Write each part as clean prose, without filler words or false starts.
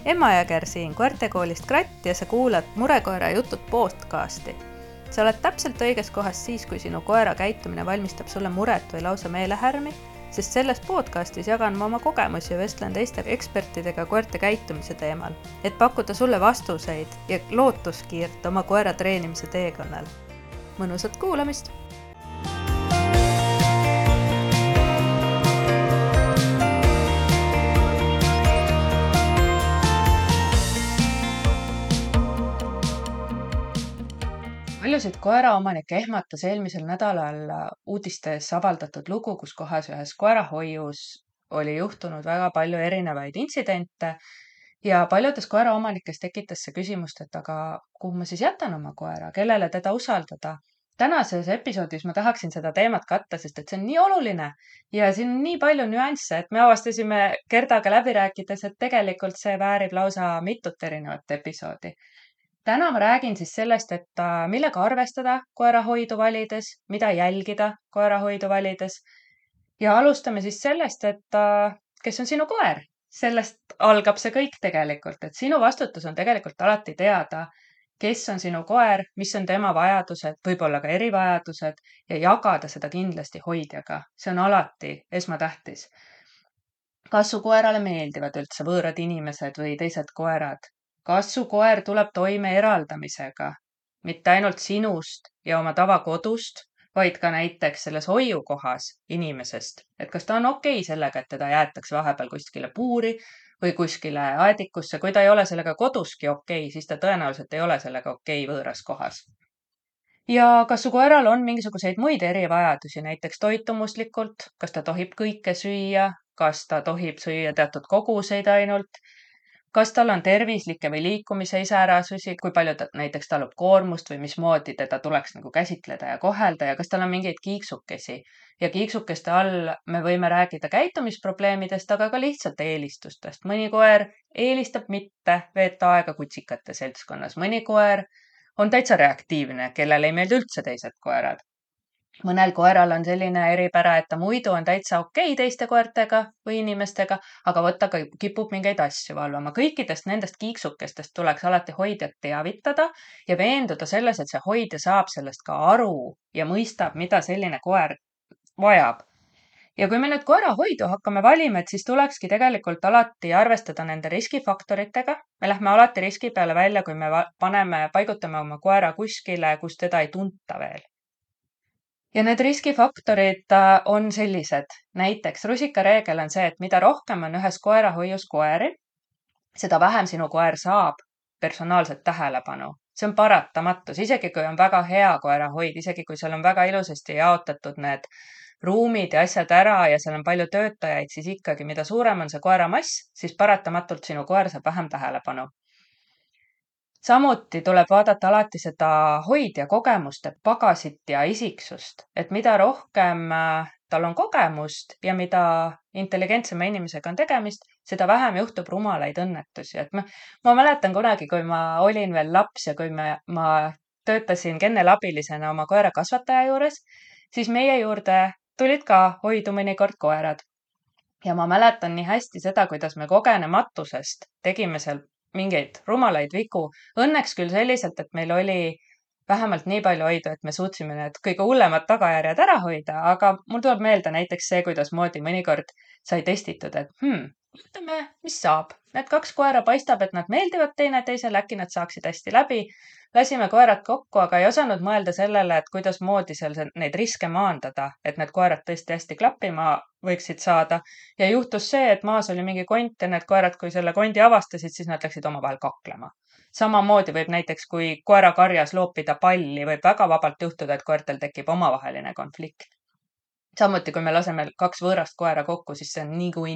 Emma Jõger siin koertekoolist Kratt ja sa kuulad Murekoera jutud podcasti. Sa oled täpselt õiges kohas siis, kui sinu koera käitumine valmistab sulle muret või lausa meelehärmi, sest selles podcastis jagan ma oma kogemusi ja vestlen teiste ekspertidega koerte käitumise teemal, et pakkuda sulle vastuseid ja lootuskiirt oma koera treenimise teekonnal. Mõnusat kuulamist! Paljusid koeraomanikke ehmatas eelmisel nädalal uudistes avaldatud lugu, kus kohas ühes koerahoius oli juhtunud väga palju erinevaid intsidente ja paljudes koeraomanikes tekitas see küsimust, et aga kuhu ma siis jätan oma koera, kellele teda usaldada. Tänases episoodis ma tahaksin seda teemat katta, sest et see on nii oluline ja siin on nii palju nüansse, et me avastasime Gerdaga läbi rääkides, et tegelikult see väärib lausa mitut erinevat episoodi. Täna ma räägin siis sellest, et millega arvestada koerahoidu valides, mida jälgida koerahoidu valides ja alustame siis sellest, et kes on sinu koer. Sellest algab see kõik tegelikult, et sinu vastutus on tegelikult alati teada, kes on sinu koer, mis on tema vajadused, võib-olla ka erivajadused ja jagada seda kindlasti hoidjaga. See on alati esmatähtis. Kas su koerale meeldivad üldse võõrad inimesed või teised koerad? Kas su koer tuleb toime eraldamisega, mitte ainult sinust ja oma tavakodust, vaid ka näiteks selles hoiukohas inimesest, et kas ta on okei sellega, et teda jäetakse vahepeal kuskile puuri või kuskile aedikusse. Kui ta ei ole sellega koduski okei, siis ta tõenäoliselt ei ole sellega okei võõras kohas. Ja kas su koeral on mingisuguseid muid erivajadusi, näiteks toitumuslikult, kas ta tohib kõike süüa, kas ta tohib süüa teatud koguseid ainult, kas tal on tervislikke või liikumise iseärasusi, kui palju ta näiteks talub koormust või mismoodi teda tuleks käsitleda ja kohelda ja kas tal on mingeid kiiksukesi. Ja kiiksukeste all me võime rääkida käitumisprobleemidest, aga ka lihtsalt eelistustest. Mõni koer eelistab mitte veeta aega kutsikate seltskonnas. Mõni koer on täitsa reaktiivne, kellel ei meeldi üldse teised koerad. Mõnel koeral on selline eripära, et ta muidu on täitsa okei teiste koertega või inimestega, aga võtta kipub mingeid asju valvama. Kõikidest nendest kiiksukestest tuleks alati hoidjat teavitada ja veenduda selles, et see hoidja saab sellest ka aru ja mõistab, mida selline koer vajab. Ja kui me nüüd koerahoidu hakkame valima, et siis tulekski tegelikult alati arvestada nende riskifaktoritega. Me lähme alati riski peale välja, kui me paigutame oma koera kuskile, kus teda ei tunta veel. Ja need riskifaktorid on sellised. Näiteks rusikareegel on see, et mida rohkem on ühes koerahoius koeri, seda vähem sinu koer saab personaalset tähelepanu. See on paratamatus, isegi kui on väga hea koerahoid, isegi kui seal on väga ilusasti jaotatud need ruumid ja asjad ära ja seal on palju töötajaid, siis ikkagi mida suurem on see koera mass, siis paratamatult sinu koer saab vähem tähelepanu. Samuti tuleb vaadata alati seda hoidja kogemuste pagasit ja isiksust, et mida rohkem tal on kogemust ja mida intelligentsema inimesega on tegemist, seda vähem juhtub rumalaid õnnetusi. Et ma mäletan kunagi, kui ma olin veel laps ja kui ma töötasin kennelabilisena oma koera kasvataja juures, siis meie juurde tulid ka hoidu mõnikord koerad. Ja ma mäletan nii hästi seda, kuidas me kogenematusest tegime seal mingeid rumalaid vigu. Õnneks küll selliselt, et meil oli vähemalt nii palju hoidu, et me suutsime need kõige hullemad tagajärjed ära hoida, aga mul tuleb meelde näiteks see, kuidas moodi mõnikord sai testitud, et ütleme, mis saab. Need 2 koera paistab, et nad meeldivad teineteisele, äkki nad saaksid hästi läbi. Lasime koerad kokku, aga ei osanud mõelda sellele, et kuidas moodi seal neid riske maandada, et need koerad tõesti hästi klappima võiksid saada. Ja juhtus see, et maas oli mingi kont ja need koerad, kui selle kondi avastasid, siis nad läksid omavahel kaklema. Samamoodi võib näiteks, kui koera karjas loopida palli, võib väga vabalt juhtuda, et koertel tekib omavaheline konflikt. Samuti, kui me laseme 2 võõrast koera kokku, siis see on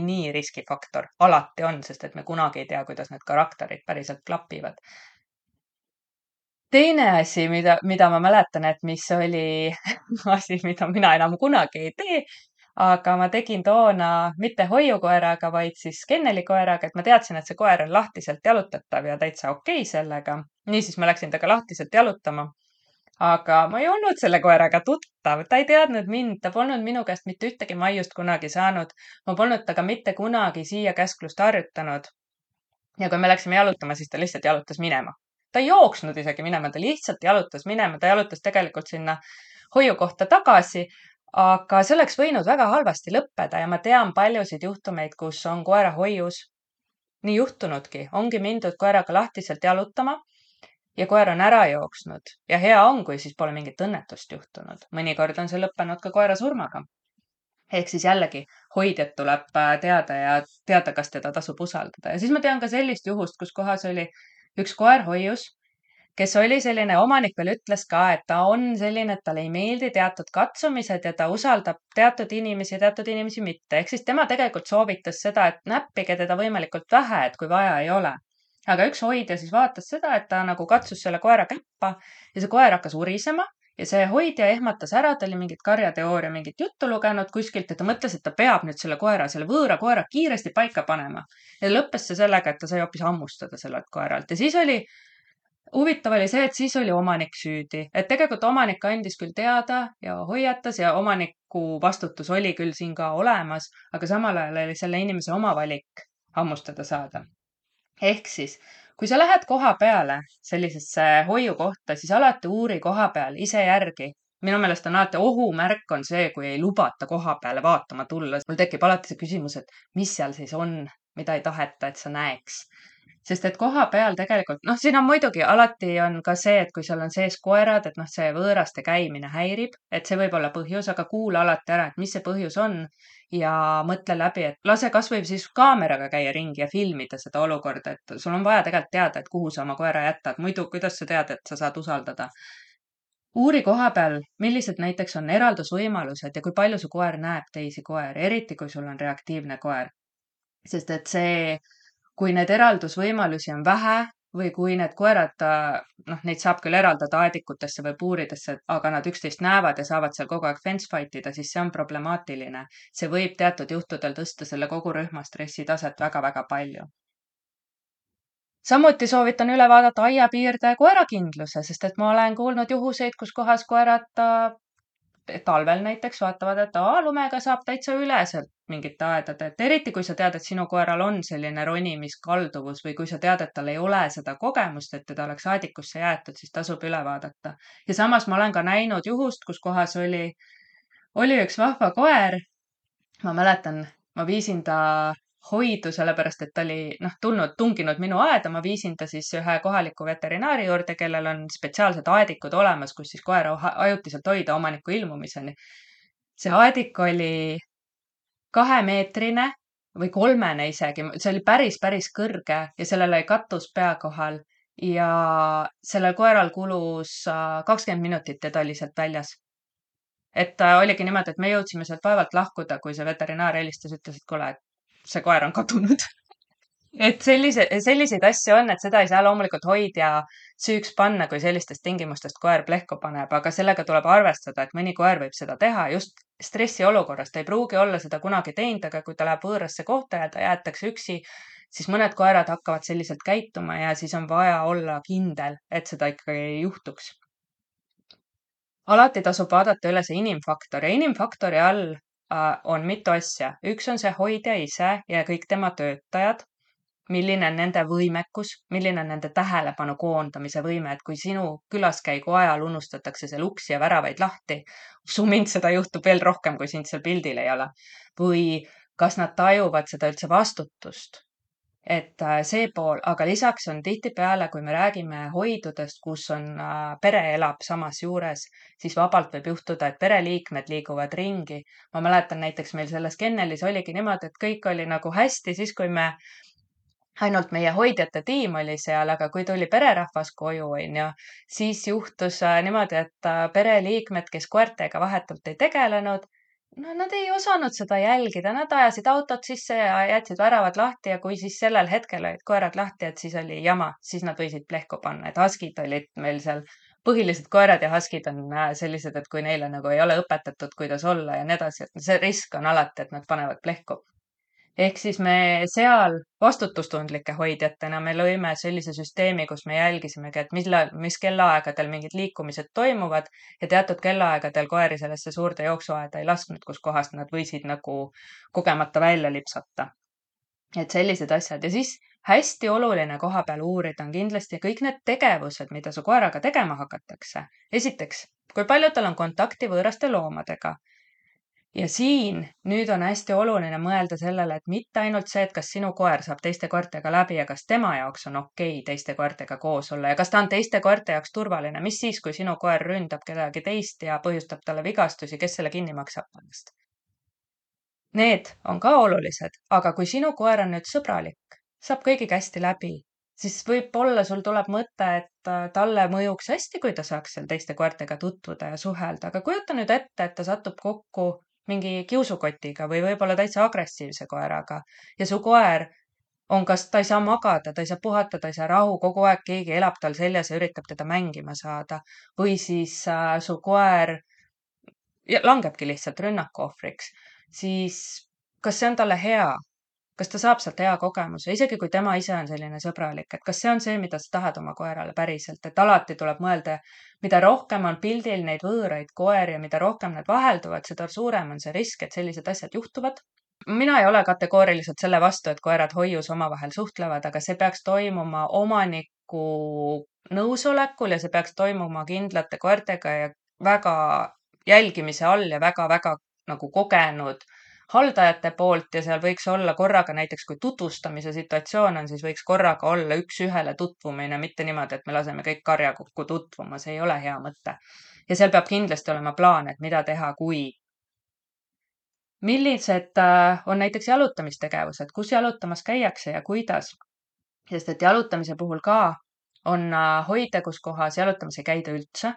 nii riskifaktor. Alati on, sest et me kunagi ei tea, kuidas need karakterid päriselt klapivad. Teine asi, mida ma mäletan, et mis oli asi, mida mina enam kunagi ei tee, aga ma tegin toona mitte hoiukoeraga, vaid siis kennelikoeraga, et ma teadsin, et see koer on lahtiselt jalutatav ja täitsa okei sellega. Niisiis ma läksin taga lahtiselt jalutama. Aga ma ei olnud selle koeraga tuttav, ta ei teadnud mind, ta polnud minu käest mitte ühtegi maiust kunagi saanud, ma polnud taga mitte kunagi siia käsklust harjutanud. ja kui me läksime jalutama, siis ta lihtsalt jalutas minema. Ta ei jooksnud isegi minema, ta lihtsalt jalutas minema, ta jalutas tegelikult sinna hoiukohta tagasi, aga see oleks võinud väga halvasti lõppeda ja ma tean paljusid juhtumeid, kus on koera hoius nii juhtunudki, ongi mindud koeraga lahtiselt jalutama ja koer on ära jooksnud ja hea on, kui siis pole mingit õnnetust juhtunud. Mõnikord on see lõppenud ka koera surmaga. Ehk siis jällegi hoidjat tuleb teada ja teada, kas teda tasub usaldada. Ja siis ma tean ka sellist juhust, kus kohas oli üks koer hoius, kes oli selline, omanik veel ütles ka, et ta on selline, et talle ei meeldi teatud katsumised ja ta usaldab teatud inimesi ja teatud inimesi mitte. Ehk siis tema tegelikult soovitas seda, et näppige teda võimalikult vähe, et kui vaja ei ole. Aga üks hoidja siis vaatas seda, et ta nagu katsus selle koera käppa ja see koer hakkas urisema ja see hoidja ehmatas ära, ta oli mingit karjateooria, mingit juttu lugenud kuskilt ja ta mõtles, et ta peab nüüd selle võõra koera kiiresti paika panema. Ja lõppes see sellega, et ta sai hoopis hammustada sellelt koeralt. Ja siis huvitav oli see, et siis oli omanik süüdi. Et tegelikult omanik andis küll teada ja hoiatas ja omaniku vastutus oli küll siin ka olemas, aga samal ajal oli selle inimese oma valik hammustada saada. Ehk siis, kui sa lähed koha peale sellisesse hoiukohta, siis alati uuri koha peal ise järgi. Minu meelest on alati ohumärk on see, kui ei lubata koha peale vaatama tulla. Mul tekib alati see küsimus, et mis seal siis on, mida ei taheta, et sa näeks. Sest et koha peal tegelikult, siin on muidugi alati on ka see, et kui seal on sees koerad, et see võõraste käimine häirib, et see võib olla põhjus, aga kuula alati ära, et mis see põhjus on ja mõtle läbi, et lase kas või siis kaameraga käia ringi ja filmida seda olukorda, et sul on vaja tegelikult teada, et kuhu sa oma koera jätad. Muidu, kuidas sa tead, et sa saad usaldada? Uuri koha peal, millised näiteks on eraldusvõimalused ja kui palju su koer näeb teisi koeri, eriti kui sul on reaktiivne koer. Sest et kui need eraldusvõimalusi on vähe või kui need koerad, neid saab küll eraldada aedikutesse või puuridesse, aga nad üksteist näevad ja saavad seal kogu aeg fence fight ida, siis see on problemaatiline. See võib teatud juhtudel tõsta selle kogu rühma stressitaset väga-väga palju. Samuti soovitan üle vaadata aiapiirde koerakindluse, sest et ma olen kuulnud juhuseid, kus kohas koerad talvel näiteks vaatavad, et lumega saab täitsa üle sealt mingite aedade, et eriti kui sa tead, et sinu koeral on selline ronimiskalduvus või kui sa tead, et tal ei ole seda kogemust, et teda oleks aedikusse jäetud, siis tasub üle vaadata. Ja samas ma olen ka näinud juhust, kus kohas oli üks vahva koer. Ma mäletan, ma viisin ta hoidu, sellepärast et ta oli tunginud minu aeda, ma viisin ta siis ühe kohaliku veterinaari juurde, kellel on spetsiaalsed aedikud olemas, kus siis koera ajutiselt hoida omaniku ilmumiseni. See aedik oli 2-meetrine või 3-ne isegi, see oli päris kõrge ja sellel oli katus pea kohal ja sellel koeral kulus 20 minutit ja ta oli sealt väljas. Et oligi niimoodi, et me jõudsime sealt vaevalt lahkuda, kui see veterinaar helistas, ütles, et kuule, et see koer on kadunud. Et selliseid asju on, et seda ei saa loomulikult hoidja süüks panna, kui sellistest tingimustest koer plehku paneb, aga sellega tuleb arvestada, et mõni koer võib seda teha just stressiolukorras. Ta ei pruugi olla seda kunagi teinud, aga kui ta läheb võõrasse kohta ja ta jäetakse üksi, siis mõned koerad hakkavad selliselt käituma ja siis on vaja olla kindel, et seda ikkagi ei juhtuks. Alati tasub vaadata üle see inimfaktor ja inimfaktori all on mitu asja. Üks on see hoidja ise ja kõik tema töötajad, milline on nende võimekus, milline on nende tähelepanu koondamise võime, et kui sinu külaskäigu ajal unustatakse seal uksi ja väravaid lahti, usu mind, seda juhtub veel rohkem, kui sind seal pildil ei ole. Või kas nad tajuvad seda üldse vastutust? Et see pool, aga lisaks on tihtipeale, kui me räägime hoidudest, kus on pere elab samas juures, siis vabalt võib juhtuda, et pereliikmed liiguvad ringi. Ma mäletan näiteks meil selles kennelis oligi niimoodi, et kõik oli nagu hästi, siis kui ainult meie hoidjate tiim oli seal, aga kui tuli pererahvas koju, siis juhtus niimoodi, et pereliikmed, kes koertega vahetult ei tegelenud, nad ei osanud seda jälgida, nad ajasid autot sisse ja jätsid väravad lahti ja kui siis sellel hetkel olid koerad lahti, et siis oli jama, siis nad võisid plehku panna, et huskid olid meil seal, põhilised koerad ja huskid on sellised, et kui neile nagu ei ole õpetatud, kuidas olla ja nii edasi, et see risk on alati, et nad panevad plehku. Ehk siis me seal vastutustundlike hoidjatena me lõime sellise süsteemi, kus me jälgisimegi, et mis kellaaegadel mingid liikumised toimuvad ja teatud kellaaegadel koeri sellesse suurde jooksuaeda ei lasknud, kus kohast nad võisid nagu kogemata välja lipsata. Et sellised asjad ja siis hästi oluline koha peal uurida on kindlasti kõik need tegevused, mida su koeraga tegema hakatakse. Esiteks, kui palju tal on kontakti võõraste loomadega. Ja siin nüüd on hästi oluline mõelda sellele, et mitte ainult see, et kas sinu koer saab teiste koertega läbi ja kas tema jaoks on okei teiste koertega koos olla ja kas ta on teiste koerte jaoks turvaline. Mis siis, kui sinu koer ründab kedagi teist ja põhjustab talle vigastusi, kes selle kinni maksab pärast? Need on ka olulised, aga kui sinu koer on nüüd sõbralik, saab kõigiga hästi läbi, siis võib-olla sul tuleb mõte, et talle mõjuks hästi, kui ta saaks seal teiste koertega tutvuda ja suhelda, aga kujuta nüüd ette, et ta satub kokku mingi kiusukotiga või võib-olla täitsa agressiivse koeraga ja su koer on, kas ta ei saa magada, ta ei saa puhata, ta ei saa rahu, kogu aeg keegi elab tal seljas ja üritab teda mängima saada või siis su koer langebki lihtsalt rünnaku ohvriks, siis kas see on talle hea? Kas ta saab sealt hea kogemuse, isegi kui tema ise on selline sõbralik, et kas see on see, mida sa tahad oma koerale päriselt, et alati tuleb mõelda, mida rohkem on pildil neid võõraid koeri ja mida rohkem need vahelduvad, seda suurem on see risk, et sellised asjad juhtuvad. Mina ei ole kategooriliselt selle vastu, et koerad hoius omavahel suhtlevad, aga see peaks toimuma omaniku nõusolekul ja see peaks toimuma kindlate koertega ja väga jälgimise all ja väga-väga nagu kogenud haldajate poolt ja seal võiks olla korraga näiteks, kui tutvustamise situatsioon on, siis võiks korraga olla üks-ühele tutvumine, mitte niimoodi, et me laseme kõik karja kokku tutvuma, see ei ole hea mõte. Ja seal peab kindlasti olema plaan, et mida teha, kui. Millised on näiteks jalutamistegevused, kus jalutamas käiakse ja kuidas? Sest et jalutamise puhul ka on hoida, kus kohas jalutamas ei käida üldse.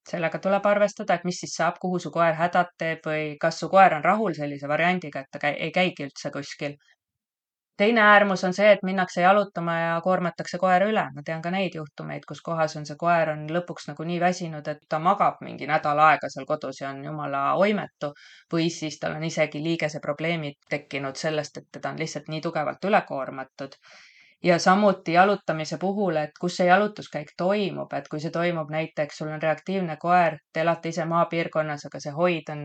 Sellega tuleb arvestada, et mis siis saab, kuhu su koer hädad teeb või kas su koer on rahul sellise variandiga, et ta ei käigi üldse kuskil. Teine äärmus on see, et minnakse jalutama ja koormatakse koer üle. Ma tean ka neid juhtumeid, kus kohas on see koer on lõpuks nagu nii väsinud, et ta magab mingi nädal aega seal kodus ja on jumala oimetu või siis tal on isegi liigese probleemid tekkinud sellest, et teda on lihtsalt nii tugevalt üle koormatud. Ja samuti jalutamise puhul, et kus see jalutuskäik toimub, et kui see toimub näiteks, sul on reaktiivne koer, te elate ise maapiirkonnas, aga see hoid on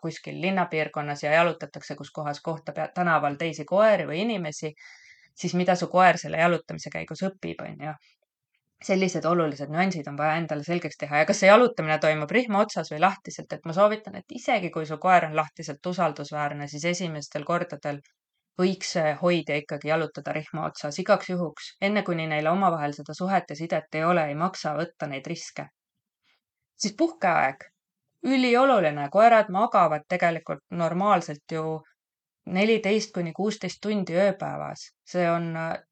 kuskil linnapiirkonnas ja jalutatakse, kus kohas kohtab tänaval teisi koeri või inimesi, siis mida su koer selle jalutamise käigus õpib, on ju. Sellised olulised nüansid on vaja endale selgeks teha ja kas see jalutamine toimub rihma otsas või lahtiselt, et ma soovitan, et isegi kui su koer on lahtiselt usaldusväärne, siis esimestel kordadel võiks hoidja ikkagi jalutada rihma otsas igaks juhuks, enne kuni neile omavahel seda suhet ja sidet ei ole, ei maksa võtta neid riske. Siis puhkeaeg. Ülioluline, koerad magavad tegelikult normaalselt ju 14–16 tundi ööpäevas. See on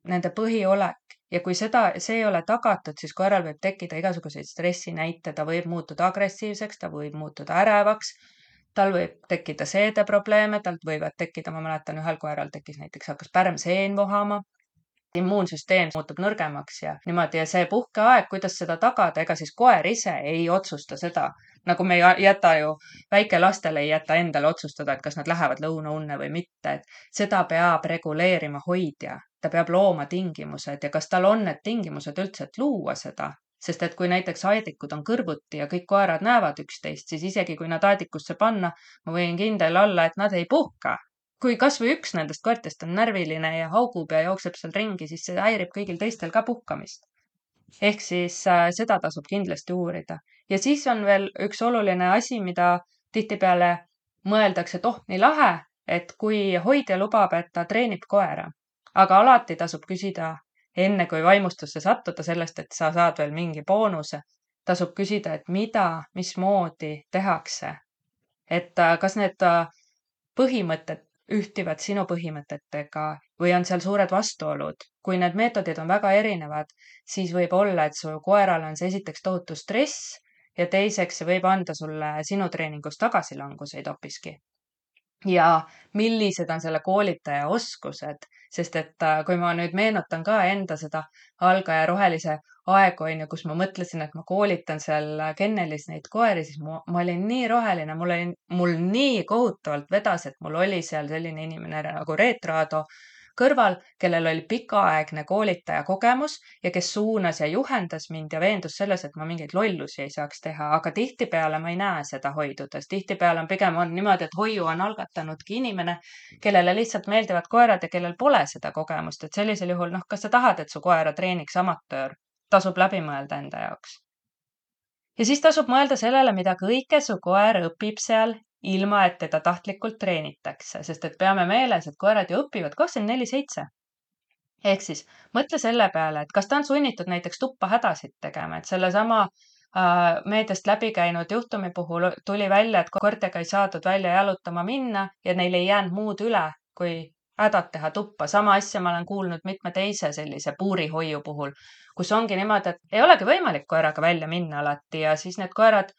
nende põhiolek ja kui see ei ole tagatud, siis koeral võib tekkida igasuguseid stressinäite, ta võib muutuda agressiivseks, ta võib muutuda ärevaks, tal võib tekkida seedeprobleeme, talt võivad tekkida, ma mäletan, ühel koeral tekkis näiteks, hakkas pärmseen vohama, immuunsüsteem muutub nõrgemaks ja niimoodi ja see puhkeaeg, kuidas seda tagada, ega siis koer ise ei otsusta seda, nagu me ei jäta ju, väikelastel ei jäta endale otsustada, et kas nad lähevad lõunaunne või mitte, et seda peab reguleerima hoidja, ta peab looma tingimused ja kas tal on need tingimused üldse, et luua seda. Sest et kui näiteks aedikud on kõrvuti ja kõik koerad näevad üksteist, siis isegi kui nad aedikusse panna, ma võin kindel olla, et nad ei puhka. Kui kas või üks nendest koertest on närviline ja haugub ja jookseb seal ringi, siis see häirib kõigil teistel ka puhkamist. Ehk siis seda tasub kindlasti uurida. Ja siis on veel üks oluline asi, mida tihtipeale mõeldakse, et nii lahe, et kui hoidja lubab, et ta treenib koera. Aga alati tasub küsida enne kui vaimustusse sattuda sellest, et sa saad veel mingi boonuse, tasub küsida, et mida, mismoodi tehakse. Et kas need põhimõtted ühtivad sinu põhimõtetega või on seal suured vastuolud. Kui need meetodid on väga erinevad, siis võib olla, et su koeral on see esiteks tohutu stress ja teiseks see võib anda sulle sinu treeningus tagasilanguseid hoopiski. Ja millised on selle koolitaja oskused, sest et kui ma nüüd meenutan ka enda seda algaja rohelise aegu, on ju, kus ma mõtlesin, et ma koolitan seal kennelis neid koeri, siis ma olin nii roheline, mul nii kohutavalt vedas, et mul oli seal selline inimene nagu Reet Raado kõrval, kellel oli pikaaegne koolitaja kogemus ja kes suunas ja juhendas mind ja veendus selles, et ma mingeid lollusi ei saaks teha, aga tihtipeale ma ei näe seda hoidudes. Tihtipeale on pigem on niimoodi, et hoiu on algatanudki inimene, kellele lihtsalt meeldivad koerad ja kellel pole seda kogemust, et sellisel juhul, noh, kas sa tahad, et su koera treeniks amatöör, tasub läbi mõelda enda jaoks. Ja siis tasub mõelda sellele, mida kõike su koer õpib seal, ilma et teda tahtlikult treenitakse, sest et peame meeles, et koerad ju õpivad 24/7. Ehk siis mõtle selle peale, et kas ta on sunnitud näiteks tuppa hädasid tegema, et sellesama meediast läbi käinud juhtumi puhul tuli välja, et koertega ei saadud välja jalutama minna ja neil ei jäänud muud üle, kui hädad teha tuppa. Sama asja ma olen kuulnud mitme teise sellise puurihoiu puhul, kus ongi niimoodi, et ei olegi võimalik koeraga välja minna alati ja siis need koerad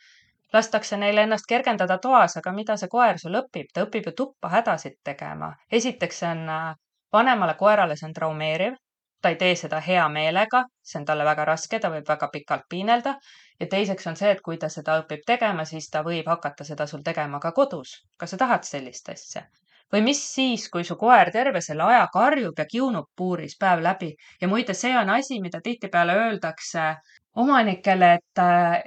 lastakse neil ennast kergendada toas, aga mida see koer sul õpib? Ta õpib ju tuppa hädasid tegema. Esiteks see on vanemale koerale see on traumeeriv, ta ei tee seda hea meelega, see on talle väga raske, ta võib väga pikalt piinelda ja teiseks on see, et kui ta seda õpib tegema, siis ta võib hakata seda sul tegema ka kodus. Kas sa tahad sellist asja? Või mis siis, kui su koer terve selle aja karjub ja kiunub puuris päev läbi ja muide, see on asi, mida tihtipeale öeldakse omanikele, et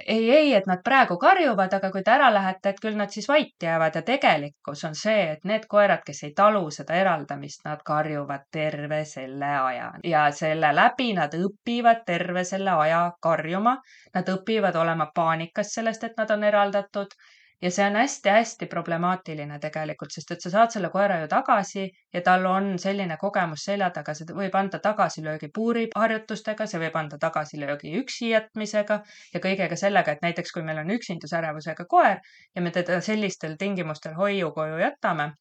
ei, et nad praegu karjuvad, aga kui te ära lähete, et küll nad siis vait jäävad ja tegelikkus on see, et need koerad, kes ei talu seda eraldamist, nad karjuvad terve selle aja ja selle läbi nad õpivad terve selle aja karjuma. Nad õpivad olema paanikas sellest, et nad on eraldatud ja see on hästi-hästi problemaatiline tegelikult, sest et sa saad selle koera ju tagasi ja tal on selline kogemus selja taga, see võib anda tagasilöögi puuriharjutustega, see võib anda tagasilöögi üksi jätmisega ja kõigega sellega, et näiteks kui meil on üksindusärevusega koer ja me teda sellistel tingimustel hoiu koju jätame,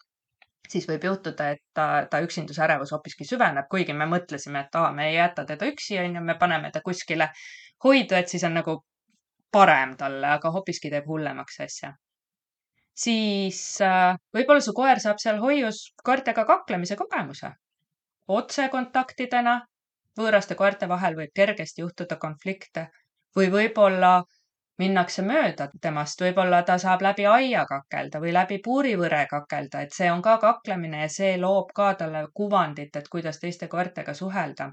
siis võib juhtuda, et ta üksindusärevus hoopiski süveneb, kuigi me mõtlesime, et me ei jäta teda üksi, on ju, me paneme ta kuskile hoidu, et siis on nagu parem talle, aga hoopiski teeb hullemaks asja. Siis võib-olla su koer saab seal hoius koertega kaklemise kogemuse. Otsekontaktidena võõraste koerte vahel võib kergesti juhtuda konflikte või võib-olla minnakse mööda temast, võib-olla ta saab läbi aia kakelda või läbi puurivõre kakelda, et see on ka kaklemine ja see loob ka talle kuvandit, et kuidas teiste koertega suhelda.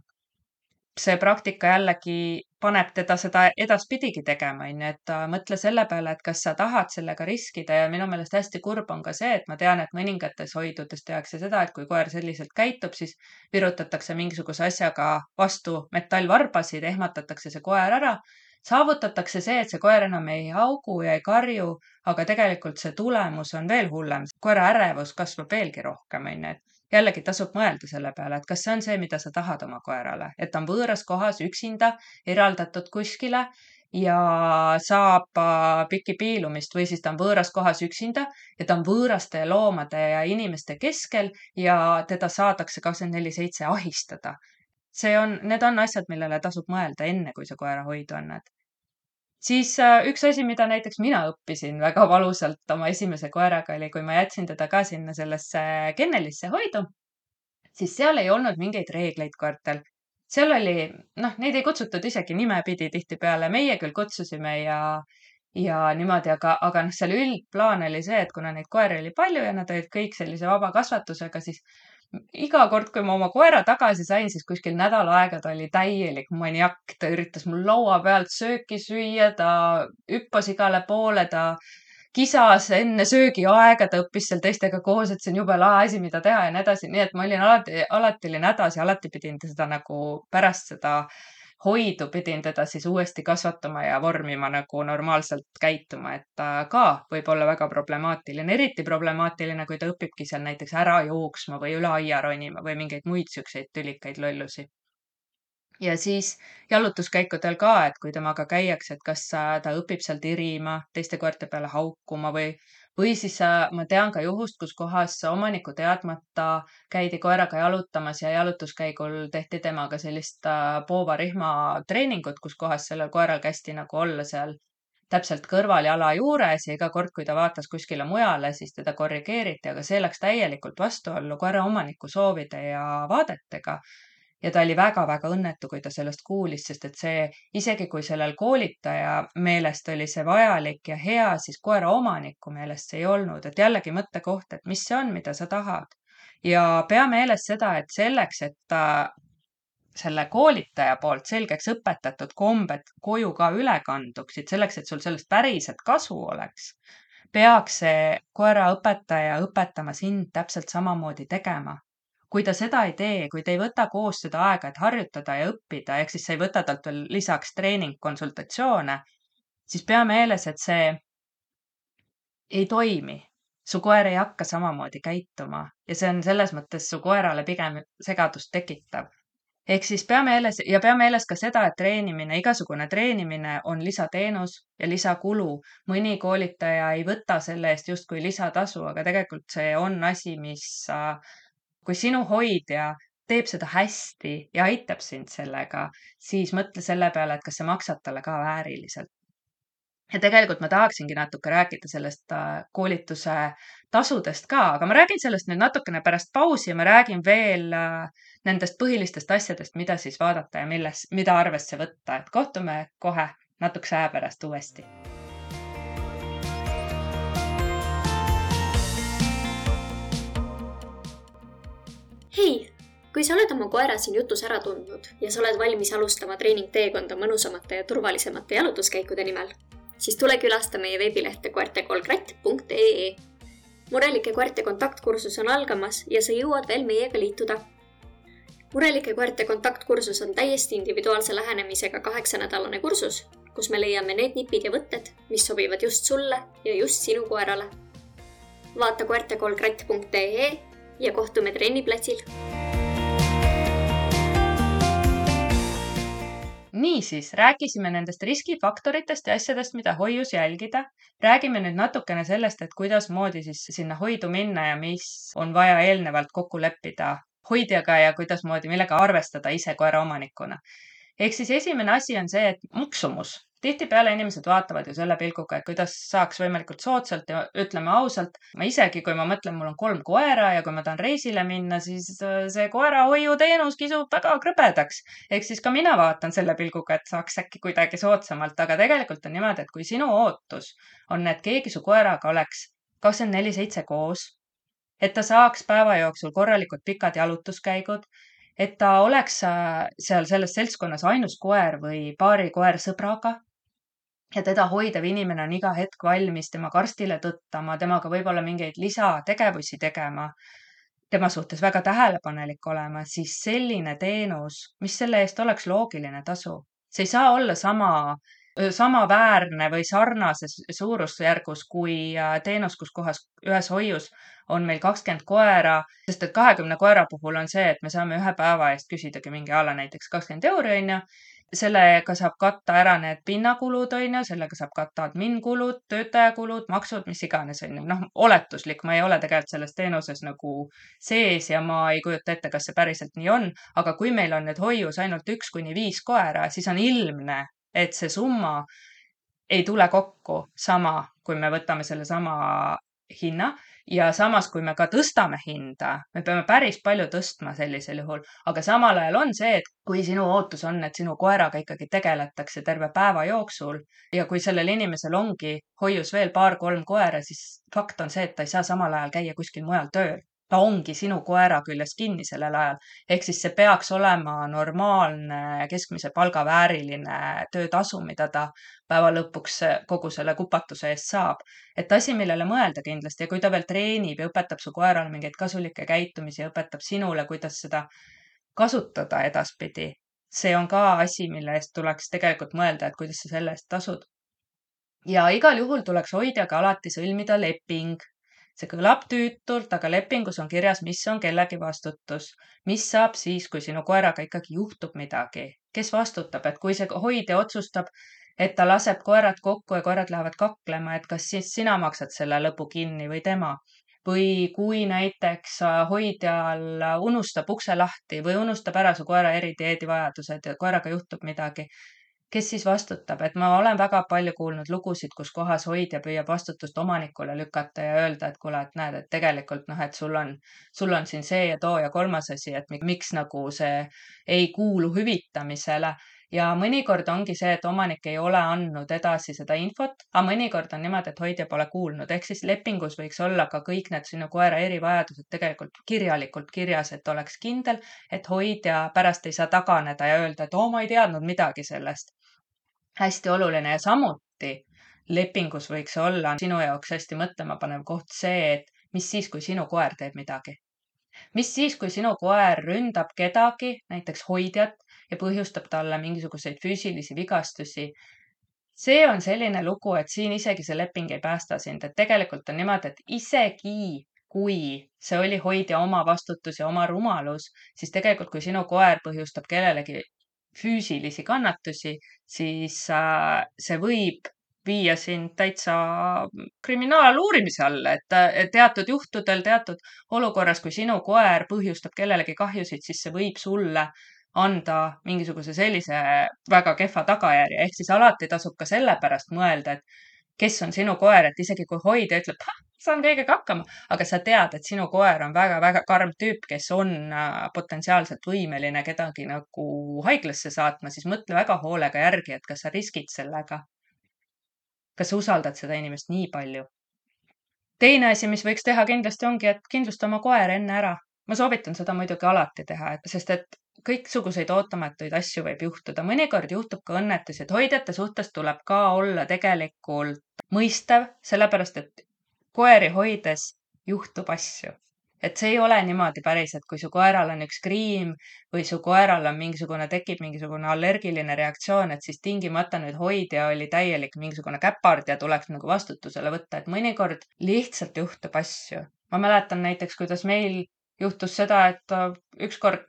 See praktika jällegi paneb teda seda edaspidigi tegema, on ju, et mõtle selle peale, et kas sa tahad sellega riskida ja minu meelest hästi kurb on ka see, et ma tean, et mõningates hoidudes tehakse seda, et kui koer selliselt käitub, siis virutatakse mingisuguse asjaga vastu metallvarbasid, ehmatatakse see koer ära, saavutatakse see, et see koer enam ei haugu ja ei karju, aga tegelikult see tulemus on veel hullem. Koera ärevus kasvab veelgi rohkem, on ju, et jällegi tasub mõelda selle peale, et kas see on see, mida sa tahad oma koerale, et ta on võõras kohas üksinda, eraldatud kuskile ja saab piki piilumist või siis ta on võõras kohas üksinda ja ta on võõraste loomade ja inimeste keskel ja teda saadakse 24/7 ahistada. Need on asjad, millele tasub mõelda enne, kui sa koera hoidu annad. Siis üks asi, mida näiteks mina õppisin väga valusalt oma esimese koeraga oli, kui ma jätsin teda ka sinna sellesse kennelisse hoidu, siis seal ei olnud mingeid reegleid koertel. Seal oli, neid ei kutsutud isegi nimepidi tihtipeale, meie küll kutsusime ja niimoodi, aga seal üldplaan oli see, et kuna neid koeri oli palju ja nad olid kõik sellise vaba kasvatusega, siis iga kord, kui ma oma koera tagasi sain, siis kuskil nädal aega ta oli täielik maniak, ta üritas mul laua pealt sööki süüa, ta hüppas igale poole, ta kisas enne söögiaega, ta õppis seal teistega koos, et see on jube lahe asi, mida teha ja nii edasi, nii et ma olin alati olin hädas ja alati pidin seda nagu pärast seda hoidu pidin teda siis uuesti kasvatama ja vormima nagu normaalselt käituma, et ta ka võib olla väga problemaatiline, eriti problemaatiline, kui ta õpibki seal näiteks ära jooksma või üle aia ronima või mingeid muid siukseid tülikaid lollusi. Ja siis jalutuskäikudel ka, et kui temaga käiakse, et kas ta õpib seal tirima, teiste koerte peale haukuma või siis ma tean ka juhust, kus kohas omaniku teadmata käidi koeraga jalutamas ja jalutuskäigul tehti temaga sellist poovarihma treeningut, kus kohas sellel koeral kästi nagu olla seal täpselt kõrval jala juures ja iga kord, kui ta vaatas kuskile mujale, siis teda korrigeeriti, aga see läks täielikult vastuollu koera omaniku soovide ja vaadetega. Ja ta oli väga-väga õnnetu, kui ta sellest kuulis, sest et see, isegi kui sellel koolitaja meelest oli see vajalik ja hea, siis koera omaniku meelest see ei olnud, et jällegi mõttekoht, et mis see on, mida sa tahad. ja pea meeles seda, et selleks, et ta selle koolitaja poolt selgeks õpetatud kombed koju ka üle kanduksid, selleks, et sul sellest päriselt kasu oleks, peaks see koeraõpetaja õpetama sind täpselt samamoodi tegema. Kui ta seda ei tee, kui te ei võta koos seda aega, et harjutada ja õppida, ehk siis sa ei võta talt veel lisaks treeningkonsultatsioone, siis pea meeles, et see ei toimi. Su koer ei hakka samamoodi käituma ja see on selles mõttes su koerale pigem segadust tekitav. Ehk siis pea meeles ka seda, et igasugune treenimine on lisateenus ja lisakulu. Mõni koolitaja ei võta selle eest justkui lisatasu, aga tegelikult see on asi, kui sinu hoidja teeb seda hästi ja aitab sind sellega, siis mõtle selle peale, et kas sa maksad talle ka vääriliselt. Ja tegelikult ma tahaksingi natuke rääkida sellest koolituse tasudest ka, aga ma räägin sellest nüüd natukene pärast pausi ja ma räägin veel nendest põhilistest asjadest, mida siis vaadata ja mida arvesse võtta, et kohtume kohe natukese aja pärast uuesti. Hei, kui sa oled oma koera siin jutus ära tundnud ja sa oled valmis alustama treeningteekonda mõnusamate ja turvalisemate jalutuskäikude nimel, siis tule külasta meie veebilehte koertekolkratt.ee. Murelike koerte kontaktkursus on algamas ja sa jõuad veel meiega liituda. Murelike koerte kontaktkursus on täiesti individuaalse lähenemisega 8-nädalane kursus, kus me leiame need nipid ja võtted, mis sobivad just sulle ja just sinu koerale. Vaata koertekolkratt.ee ja kohtume trenniplatsil. Niisiis, rääkisime nendest riskifaktoritest ja asjadest, mida hoius jälgida. Räägime nüüd natukene sellest, et kuidas moodi siis sinna hoidu minna ja mis on vaja eelnevalt kokku leppida hoidjaga ja kuidas moodi, millega arvestada ise koera omanikuna. Ehk siis esimene asi on see, et maksumus. Tihtipeale inimesed vaatavad ju selle pilguga, et kuidas saaks võimalikult soodsalt ja ütleme ausalt. Ma isegi, kui ma mõtlen, mul on 3 koera ja kui ma tahan reisile minna, siis see koerahoiuteenus kisub väga krõbedaks. Ehk siis ka mina vaatan selle pilguga, et saaks äkki kuidagi soodsamalt, aga tegelikult on niimoodi, et kui sinu ootus on, et keegi su koeraga oleks 24/7 koos, et ta saaks päeva jooksul korralikult pikad jalutuskäigud, et ta oleks seal selles seltskonnas ainus koer või paari koer sõbraga ja teda hoidev inimene on iga hetk valmis tema karstile tõttama, temaga võib-olla mingeid lisategevusi tegema, tema suhtes väga tähelepanelik olema, siis selline teenus, mis selle eest oleks loogiline tasu. See ei saa olla samaväärne või sarnases suurusjärgus kui teenus, kus kohas ühes hoius on meil 20 koera, sest et 20 koera puhul on see, et me saame ühe päeva eest küsidagi mingi näiteks 20 euri, on ju. Sellega saab katta ära need pinnakulud, on ju, sellega saab katta adminkulud, töötajakulud, maksud, mis iganes, on ju. Oletuslik, ma ei ole tegelikult selles teenuses nagu sees ja ma ei kujuta ette, kas see päriselt nii on, aga kui meil on nüüd hoius ainult 1-5 koera, siis on ilmne, et see summa ei tule kokku sama, kui me võtame selle sama hinna ja samas, kui me ka tõstame hinda, me peame päris palju tõstma sellisel juhul, aga samal ajal on see, et kui sinu ootus on, et sinu koeraga ikkagi tegeletakse terve päeva jooksul ja kui sellel inimesel ongi hoius veel 2-3 koera, siis fakt on see, et ta ei saa samal ajal käia kuskil mujal tööl. Ta ongi sinu koera küljes kinni sellel ajal. Ehk siis see peaks olema normaalne keskmise palga vääriline töötasu, mida ta päeva lõpuks kogu selle kupatuse eest saab. Et asi, millele mõelda kindlasti ja kui ta veel treenib ja õpetab su koerale mingeid kasulikke käitumisi ja õpetab sinule, kuidas seda kasutada edaspidi, see on ka asi, mille eest tuleks tegelikult mõelda, et kuidas sa selle eest tasud. Ja igal juhul tuleks hoidjaga alati sõlmida leping. See kõlab tüütult, aga lepingus on kirjas, mis on kellegi vastutus. Mis saab siis, kui sinu koeraga ikkagi juhtub midagi? Kes vastutab, et kui see hoidja otsustab, et ta laseb koerad kokku ja koerad lähevad kaklema, et kas siis sina maksad selle lõpu kinni või tema? Või kui näiteks hoidjal unustab ukse lahti või unustab ära su koera eridieedivajadused ja koeraga juhtub midagi, kes siis vastutab, et ma olen väga palju kuulnud lugusid, kus kohas hoidja püüab vastutust omanikule lükata ja öelda, et kuule, et näed, et tegelikult et sul on siin see ja too ja kolmas asi, et miks nagu see ei kuulu hüvitamisele ja mõnikord ongi see, et omanik ei ole andnud edasi seda infot, aga mõnikord on niimoodi, et hoidja pole kuulnud, ehk siis lepingus võiks olla ka kõik need sinu koera erivajadused tegelikult kirjalikult kirjas, et oleks kindel, et hoidja pärast ei saa taganeda ja öelda, et ma ei teadnud midagi sellest. Hästi oluline ja samuti lepingus võiks olla sinu jaoks hästi mõtlemapanev koht see, et mis siis, kui sinu koer teeb midagi. Mis siis, kui sinu koer ründab kedagi, näiteks hoidjat, ja põhjustab talle mingisuguseid füüsilisi vigastusi. See on selline lugu, et siin isegi see leping ei päästa sind, et tegelikult on niimoodi, et isegi kui see oli hoidja oma vastutus ja oma rumalus, siis tegelikult, kui sinu koer põhjustab kellelegi füüsilisi kannatusi, siis see võib viia sind täitsa kriminaaluurimise alla, et teatud juhtudel, teatud olukorras, kui sinu koer põhjustab kellelegi kahjusid, siis see võib sulle anda mingisuguse sellise väga kehva tagajärje. Ehk siis alati tasub ka selle pärast mõelda, et kes on sinu koer, et isegi kui hoidja ütleb, saan kõigega hakkama, aga sa tead, et sinu koer on väga-väga karm tüüp, kes on potentsiaalselt võimeline kedagi nagu haiglasse saatma, siis mõtle väga hoolega järgi, et kas sa riskid sellega. Kas sa usaldad seda inimest nii palju? Teine asi, mis võiks teha kindlasti ongi, et kindlusta oma koer enne ära. Ma soovitan seda muidugi alati teha, sest et kõiksuguseid ootamatuid asju võib juhtuda. Mõnikord juhtub ka õnnetusi, et hoidjate suhtes tuleb ka olla tegelikult mõistev, sellepärast et koeri hoides juhtub asju. Et see ei ole niimoodi päris, et kui su koeral on üks kriim või su koeral on tekib mingisugune allergiline reaktsioon, et siis tingimata nüüd hoidja oli täielik mingisugune käpard ja tuleks nagu vastutusele võtta, et mõnikord lihtsalt juhtub asju. Ma mäletan näiteks, kuidas meil juhtus seda, et ükskord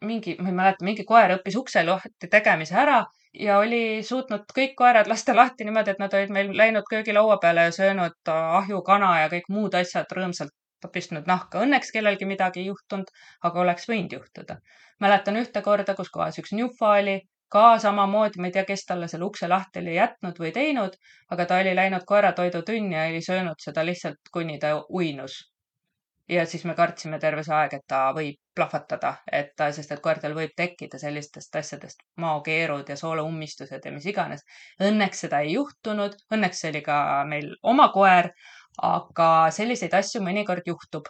ma ei mäleta, mingi koer õppis ukse lahti tegemise ära ja oli suutnud kõik koerad lasta lahti niimoodi, et nad olid meil läinud köögilaua peale ja söönud ahjukana ja kõik muud asjad rõõmsalt pistnud nahka. Õnneks kellelgi midagi ei juhtunud, aga oleks võinud juhtuda. Mäletan ühte korda, kus kohas üks njufa oli ka samamoodi, ma ei tea, kes talle selle ukse lahti oli jätnud või teinud, aga ta oli läinud koeratoidutunni ja oli söönud seda lihtsalt, kuni ta uinus. Ja siis me kartsime terve see aeg, et ta võib plahvatada, sest et koertel võib tekkida sellistest asjadest maokeerud ja sooloummistused ja mis iganes. Õnneks seda ei juhtunud, õnneks see oli ka meil oma koer, aga selliseid asju mõnikord juhtub.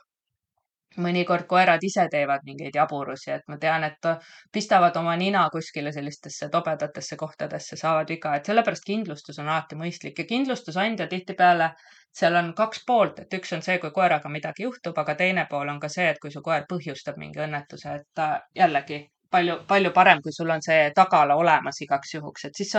Mõnikord koerad ise teevad mingeid jaburusi, et ma tean, et pistavad oma nina kuskile sellistesse tobedatesse kohtadesse, saavad viga, et sellepärast kindlustus on alati mõistlik ja kindlustusandja tihtipeale seal on kaks poolt, et üks on see, kui koeraga midagi juhtub, aga teine pool on ka see, et kui su koer põhjustab mingi õnnetuse, et jällegi palju parem, kui sul on see tagala olemas igaks juhuks, et siis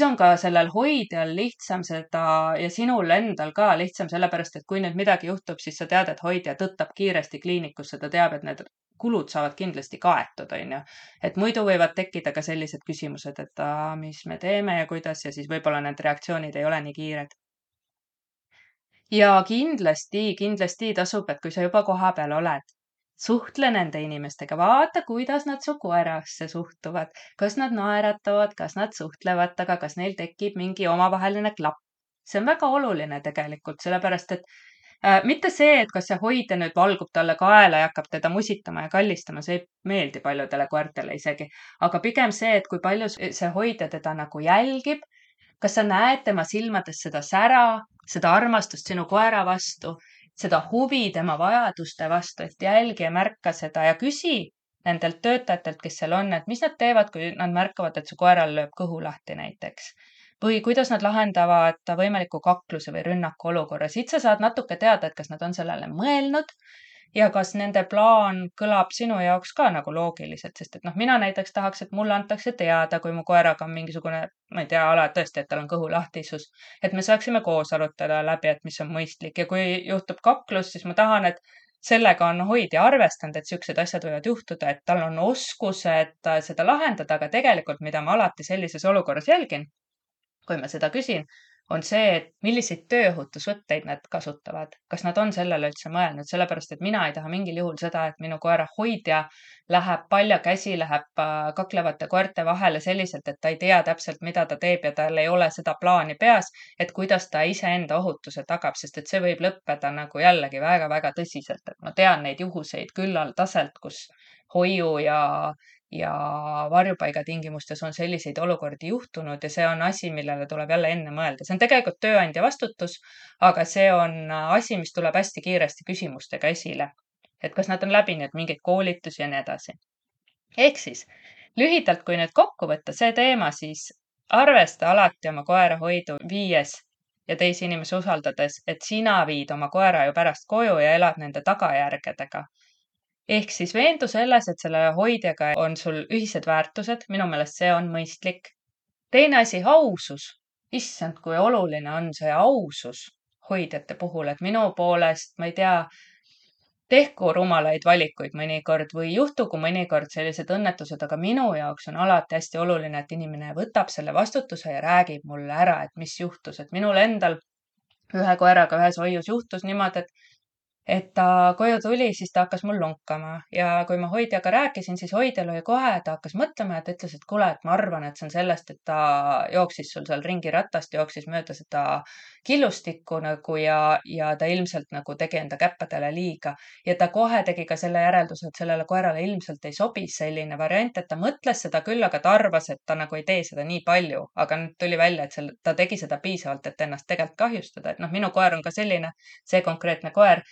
on ka sellel hoidjal lihtsam seda ja sinul endal ka lihtsam, sellepärast et kui nüüd midagi juhtub, siis sa tead, et hoidja tõttab kiiresti kliinikusse, ta teab, et need kulud saavad kindlasti kaetud, on ju. Et muidu võivad tekkida ka sellised küsimused, et mis me teeme ja kuidas ja siis võib-olla need reaktsioonid ei ole nii kiired. Ja kindlasti tasub, et kui sa juba kohapeal oled, suhtle nende inimestega, vaata, kuidas nad su koerasse suhtuvad, kas nad naeratavad, kas nad suhtlevad temaga, kas neil tekib mingi omavaheline klapp. See on väga oluline tegelikult, sellepärast et mitte see, et kas see hoidja nüüd valgub talle kaela ja hakkab teda musitama ja kallistama, see ei meeldi paljudele koertele isegi, aga pigem see, et kui palju see hoidja teda nagu jälgib, kas sa näed tema silmades seda sära, seda armastust sinu koera vastu, seda huvi tema vajaduste vastu, et jälgi ja märka seda ja küsi nendelt töötajatelt, kes seal on, et mis nad teevad, kui nad märkavad, et su koeral lööb kõhu lahti näiteks. Või kuidas nad lahendavad võimaliku kakluse või rünnaku olukorra. Siit sa saad natuke teada, et kas nad on sellele mõelnud ja kas nende plaan kõlab sinu jaoks ka nagu loogiliselt, sest et mina näiteks tahaks, et mulle antakse teada, kui mu koeraga on mingisugune, ma ei tea, tõesti, et tal on kõhulahtisus, et me saaksime koos arutada läbi, et mis on mõistlik ja kui juhtub kaklus, siis ma tahan, et sellega on hoidja arvestanud, et siuksed asjad võivad juhtuda, et tal on oskused seda lahendada, aga tegelikult, mida ma alati sellises olukorras jälgin, kui ma seda küsin, on see, et milliseid tööohutusvõtteid nad kasutavad. Kas nad on sellele üldse mõelnud, sellepärast et mina ei taha mingil juhul seda, et minu koera hoidja läheb paljakäsi, läheb kaklevate koerte vahele selliselt, et ta ei tea täpselt, mida ta teeb ja tal ei ole seda plaani peas, et kuidas ta iseenda ohutuse tagab, sest et see võib lõppeda nagu jällegi väga-väga tõsiselt, et ma tean neid juhuseid küllaldaselt, kus hoiu ja varjupaiga tingimustes on selliseid olukordi juhtunud ja see on asi, millele tuleb jälle enne mõelda. See on tegelikult tööandja vastutus, aga see on asi, mis tuleb hästi kiiresti küsimustega esile. Et kas nad on läbinud mingeid koolitusi ja nii edasi. Ehk siis, lühidalt, kui nüüd kokku võtta see teema, siis arvesta alati oma koera hoidu viies ja teisi inimesi usaldades, et sina viid oma koera ju pärast koju ja elad nende tagajärgedega. Ehk siis veendu selles, et selle hoidjaga on sul ühised väärtused, minu meelest see on mõistlik. Teine asi, ausus. Issand, kui oluline on see ausus hoidjate puhul, et minu poolest, ma ei tea, tehku rumalaid valikuid mõnikord või juhtugu mõnikord sellised õnnetused, aga minu jaoks on alati hästi oluline, et inimene võtab selle vastutuse ja räägib mulle ära, et mis juhtus. Et minul endal ühe koeraga ühes hoius juhtus niimoodi, et ta koju tuli, siis ta hakkas mul lonkama ja kui ma hoidjaga rääkisin, siis hoidjal oli kohe, ta hakkas mõtlema ja ta ütles, et kuule, et ma arvan, et see on sellest, et ta jooksis sul seal ringi ratast, jooksis mööda seda killustikku nagu ja ta ilmselt nagu tegi enda käppadele liiga ja ta kohe tegi ka selle järelduse, et sellele koerale ilmselt ei sobi selline variant, et ta mõtles seda küll, aga ta arvas, et ta nagu ei tee seda nii palju, aga nüüd tuli välja, et ta tegi seda piisavalt, et ennast tegelikult kahjustada, et minu koer on ka selline, see konkreetne koer,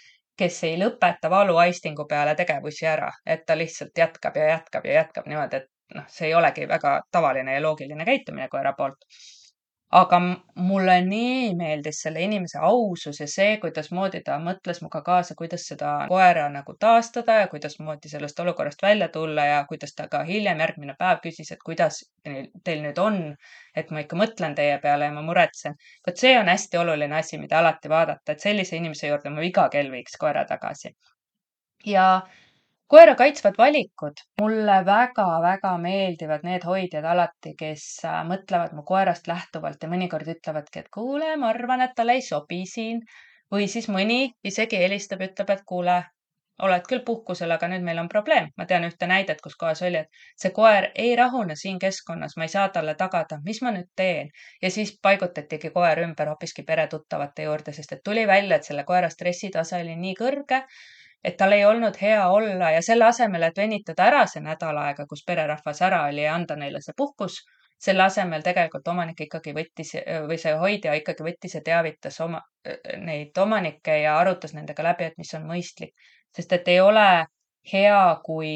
kes ei lõpeta valuaistingu peale tegevusi ära, et ta lihtsalt jätkab ja jätkab ja jätkab niimoodi, et see ei olegi väga tavaline ja loogiline käitumine koera poolt. Aga mulle nii meeldis selle inimese ausus ja see, kuidas moodi ta mõtles muga kaasa, kuidas seda koera nagu taastada ja kuidas moodi sellest olukorrast välja tulla ja kuidas ta ka hiljem järgmine päev küsis, et kuidas teil nüüd on, et ma ikka mõtlen teie peale ja ma muretsen. Vot see on hästi oluline asi, mida alati vaadata, et sellise inimese juurde ma iga kell viiks koera tagasi. Ja koera kaitsvad valikud. Mulle väga-väga meeldivad need hoidjad alati, kes mõtlevad mu koerast lähtuvalt ja mõnikord ütlevadki, et kuule, ma arvan, et talle ei sobi siin. Või siis mõni isegi helistab, ütleb, et kuule, oled küll puhkusel, aga nüüd meil on probleem. Ma tean ühte näidet, kus kohas oli, et see koer ei rahune siin keskkonnas, ma ei saa talle tagada, mis ma nüüd teen. Ja siis paigutatigi koer ümber hoopiski peretuttavate juurde, sest et tuli välja, et selle koera stressitase oli nii kõrge, et tal ei olnud hea olla ja selle asemel, et venitada ära see nädal aega, kus pererahvas ära oli ja anda neile see puhkus, selle asemel tegelikult omanik ikkagi võttis või see hoidja ikkagi võttis ja teavitas neid omanikke ja arutas nendega läbi, et mis on mõistlik. Sest et ei ole hea, kui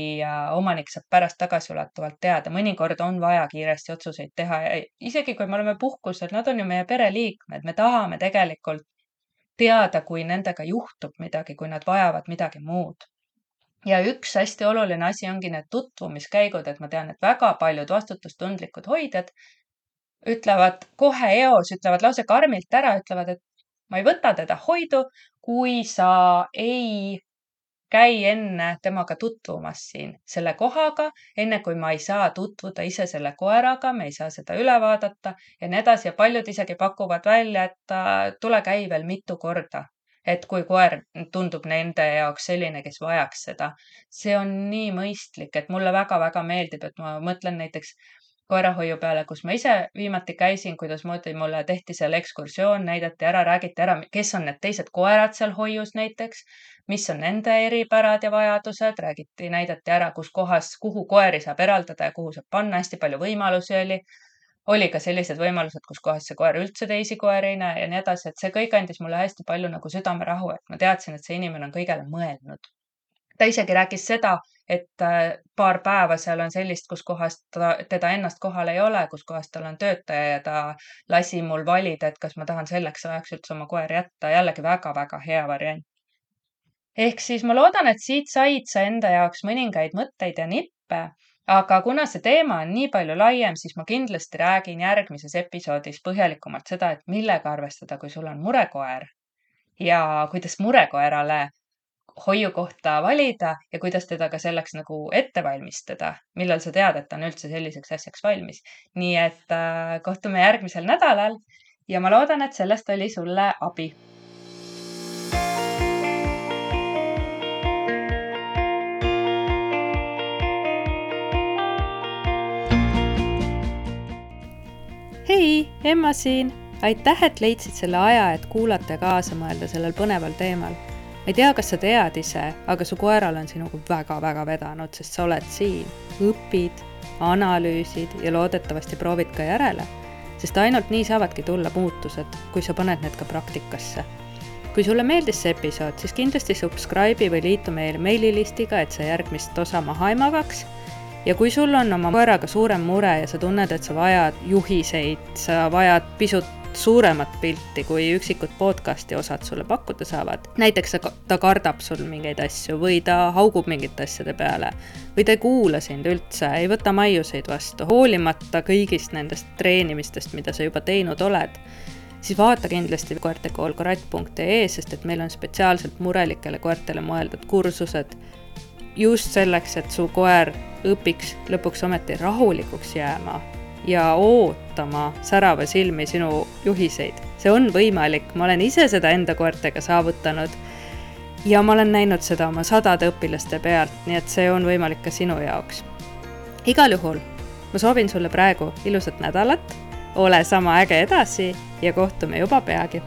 omanik saab pärast tagasiulatuvalt teada. Mõnikord on vaja kiiresti otsuseid teha ja isegi kui me oleme puhkusel, nad on ju meie pereliikmed, me tahame tegelikult teada, kui nendega juhtub midagi, kui nad vajavad midagi muud. Ja üks hästi oluline asi ongi need tutvumiskäigud, et ma tean, et väga paljud vastutustundlikud hoidjad ütlevad kohe eos, ütlevad lause karmilt ära, ütlevad, et ma ei võta teda hoidu, kui sa ei käi enne temaga tutvumas siin selle kohaga, enne kui ma ei saa tutvuda ise selle koeraga, me ei saa seda üle vaadata ja nii edasi. Ja paljud isegi pakuvad välja, et tule käi veel mitu korda, et kui koer tundub nende jaoks selline, kes vajaks seda. See on nii mõistlik, et mulle väga-väga meeldib, et ma mõtlen näiteks koerahoiu peale, kus ma ise viimati käisin, kuidas moodi mulle tehti seal ekskursioon, näidati ära, räägiti ära, kes on need teised koerad seal hoius näiteks, mis on nende eripärad ja vajadused, räägiti, näidati ära, kus kohas, kuhu koeri saab eraldada ja kuhu saab panna, hästi palju võimalusi oli. Oli ka sellised võimalused, kus kohas see koer üldse teisi koeri ei näe ja nii edasi, et see kõik andis mulle hästi palju nagu südamerahu, et ma teadsin, et see inimene on kõigele mõelnud. Ta isegi rääkis seda, et paar päeva seal on sellist, kus kohast teda ennast kohal ei ole, kus kohast tal on töötaja ja ta lasi mul valida, et kas ma tahan selleks ajaks üldse oma koer jätta. Jällegi väga-väga hea variant. Ehk siis ma loodan, et siit said sa enda jaoks mõningaid mõtteid ja nippe, aga kuna see teema on nii palju laiem, siis ma kindlasti räägin järgmises episoodis põhjalikumalt seda, et millega arvestada, kui sul on murekoer ja kuidas murekoerale hoiukohta valida ja kuidas teda ka selleks nagu ette valmistada, millal sa tead, et ta on üldse selliseks asjaks valmis. Nii et kohtume järgmisel nädalal ja ma loodan, et sellest oli sulle abi. Hei, Emma siin! Aitäh, et leidsid selle aja, et kuulata ja kaasa mõelda sellel põneval teemal. Ma ei tea, kas sa tead ise, aga su koeral on sinuga väga-väga vedanud, sest sa oled siin, õpid, analüüsid ja loodetavasti proovid ka järele, sest ainult nii saavadki tulla muutused, kui sa paned need ka praktikasse. Kui sulle meeldis see episood, siis kindlasti subscribe'i või liitu meile meililistiga, et sa järgmist osa maha ei magaks. Ja kui sul on oma koeraga suurem mure ja sa tunned, et sa vajad juhiseid, sa vajad pisut suuremat pilti, kui üksikud podcasti osad sulle pakkuda saavad. Näiteks ta kardab sul mingeid asju või ta haugub mingite asjade peale või ta ei kuula sind üldse, ei võta maiuseid vastu, hoolimata kõigist nendest treenimistest, mida sa juba teinud oled. Siis vaata kindlasti koertekoolkorat.ee, sest et meil on spetsiaalselt murelikele koertele mõeldud kursused just selleks, et su koer õpiks lõpuks ometi rahulikuks jääma ja ootama särava silmi sinu juhiseid. See on võimalik, ma olen ise seda enda koertega saavutanud ja ma olen näinud seda oma 100 õpilaste pealt, nii et see on võimalik ka sinu jaoks. Igal juhul, ma soovin sulle praegu ilusat nädalat, ole sama äge edasi ja kohtume juba peagi.